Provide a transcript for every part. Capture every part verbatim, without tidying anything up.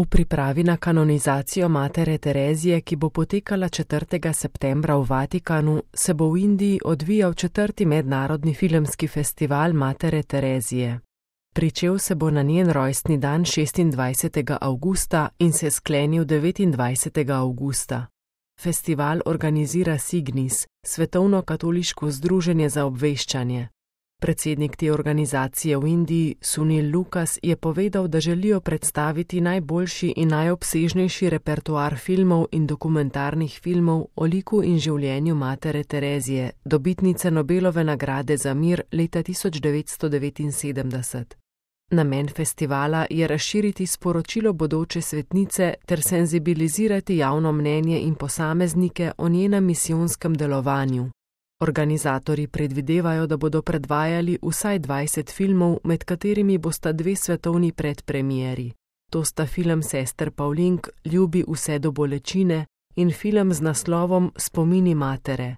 V pripravi na kanonizacijo matere Terezije, ki bo potekala četrtega septembra v Vatikanu, se bo v Indiji odvijal četrti mednarodni filmski festival matere Terezije. Pričel se bo na njen rojstni dan šestindvajsetega avgusta in se sklenil devetindvajsetega avgusta. Festival organizira Signis, svetovno katoliško združenje za obveščanje. Predsednik te organizacije v Indiji, Sunil Lukas, je povedal, da želijo predstaviti najboljši in najobsežnejši repertoar filmov in dokumentarnih filmov o liku in življenju matere Terezije, dobitnice Nobelove nagrade za mir leta tisoč devetsto devetinsedemdeset. Namen festivala je razširiti sporočilo bodoče svetnice ter senzibilizirati javno mnenje in posameznike o njenem misijonskem delovanju. Organizatorji predvidevajo, da bodo predvajali vsaj dvajset filmov, med katerimi bosta dve svetovni predpremieri. To sta film Sester Pavlink, Ljubi vse do bolečine in film z naslovom Spomini matere.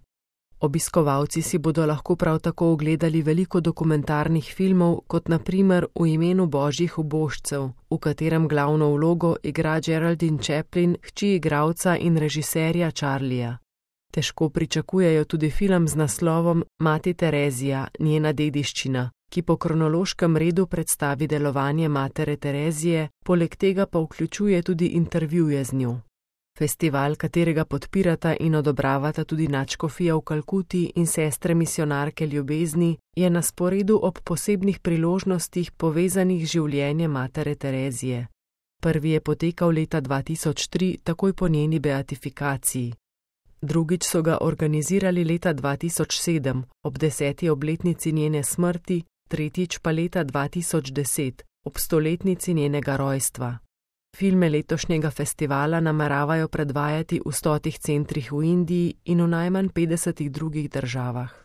Obiskovalci si bodo lahko prav tako ogledali veliko dokumentarnih filmov, kot na primer V imenu božjih ubožcev, v katerem glavno vlogo igra Geraldine Chaplin, hči igralca in režiserja Charlieja. Težko pričakujejo tudi film z naslovom Mati Terezija, njena dediščina, ki po kronološkem redu predstavi delovanje matere Terezije, poleg tega pa vključuje tudi intervjuje z njo. Festival, katerega podpirata in odobravata tudi nadškofija v Kalkuti in sestre misijonarke ljubezni, je na sporedu ob posebnih priložnostih povezanih z življenjem matere Terezije. Prvi je potekal leta dva tisoč tri, takoj po njeni beatifikaciji. Drugič so ga organizirali leta dva tisoč sedem, ob deseti obletnici njene smrti, tretjič pa leta dva tisoč deset, ob stoletnici njenega rojstva. Filme letošnjega festivala nameravajo predvajati v stotih centrih v Indiji in v najmanj petdesetih drugih državah.